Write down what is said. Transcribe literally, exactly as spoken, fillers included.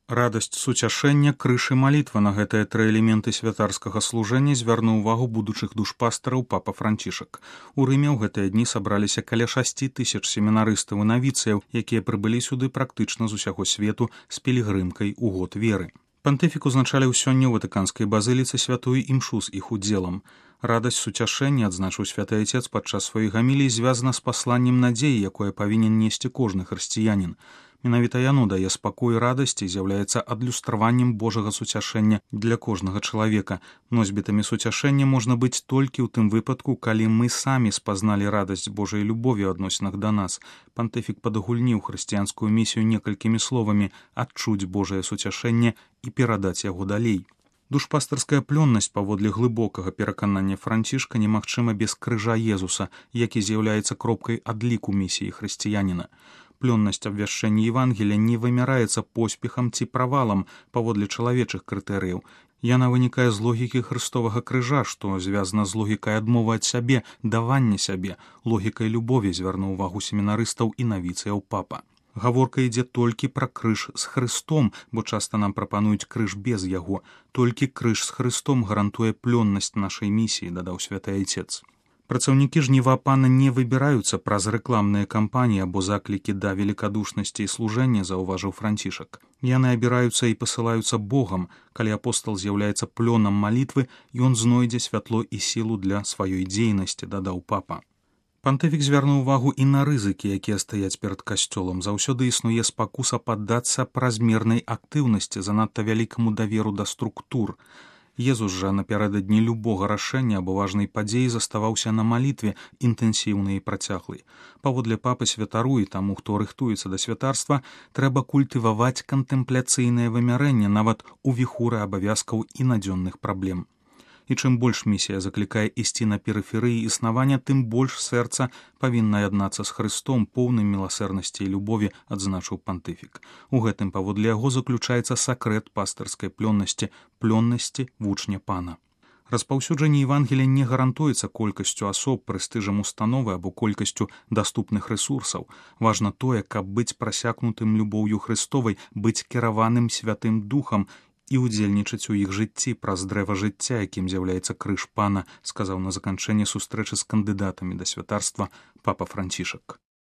Радасць суцяшэння, крыж і малітва на гэтыя тры элементы святарскага служэння звярнуў увагу будучых душпастараў папа Францішак. У Рыме ў гэтыя дні сабраліся каля шасці тысяч семінарыстаў і навіцыяў, якія прыбылі сюды практычна з усяго свету з пілігрымкай у год веры. Пантыфік узначаліў сёння ў ватыканскай базыліцы святую імшу з іх удзелам. Радасць суцяшэння, адзначыў святы Айцец падчас сваёй гаміліі, звязана з пасланнем надзеі, якое павінен несці кожны хрысціянін. Менавіта яно дае спакой і радасць і з'яўляецца адлюстраваннем Божага суцяшэння для кожнага чалавека. Носьбітамі суцяшэння можна быць толькі ў тым выпадку, калі мы самі спазналі радасць Божай любові ў адносінах да нас. Пантыфік падагульніў хрысціянскую місію некалькімі словамі: адчуць Божае суцяшэнне і перадаць яго далей. Душпастарская плённасць паводле глыбокага пераканання Францішка немагчыма без крыжа Езуса, які з'яўляецца кропкай адліку місіі хрысціяніна. Плённасць абвяшчэння Евангелія не вымяраецца поспехам ці правалам паводле чалавечых крытэрыяў. Яна вынікае з логікі хрыстовага крыжа, што звязана з логікай адмовы ад сябе, давання сябе, логікай любові, звярнуў увагу семінарыстаў і навіцыяў папа. Гаворка ідзе толькі пра крыж з Хрыстом, бо часта нам прапануюць крыж без яго. Толькі крыж з Хрыстом гарантуе плённасць нашай місіі, дадаў святы Айцец. Працаўнікі жніва пана не выбіраюцца праз рэкламныя кампаніі або заклікі да велікадушнасці і служэння, заўважыў Францішак. Яны абіраюцца і пасылаюцца Богам. Калі апостал з'яўляецца плёнам малітвы, ён знойдзе святло і сілу для сваёй дзейнасці, дадаў папа. Пантыфік звярнуў увагу і на рызыкі, якія стаяць перад касцёлам. Заўсёды існуе спакуса паддацца празмернай актыўнасці, занадта вялікаму даверу да структур. Езус жа напярэдадні любога рашэння або важнай падзеі заставаўся на малітве, інтэнсіўнай і працяглай. Паводле папы святару і таму, хто рыхтуецца да святарства, трэба культываваць кантэмпляцыйнае вымярэнне нават у віхуры абавязкаў і надзённых праблем. І чым больш місія заклікае ісці на перыферыі існавання, тым больш сэрца павінна яднацца з Хрыстом, поўным міласэрнасці і любові, адзначыў пантыфік. У гэтым паводле яго заключаецца сакрэт пастырскай плённасці, плённасці вучня пана. Распаўсюджанне Евангелія не гарантуецца колькасцю асоб, прэстыжам установы або колькасцю даступных рэсурсаў. Важна тое, каб быць прасякнутым любоўю Хрыстовай, быць кіраваным святым духам і ўдзельнічаць у іх жыцці праз дрэва жыцця, якім з'яўляецца крыж пана, сказаў на заканчэнне сустрэчы з кандыдатамі да святарства папа Францішак.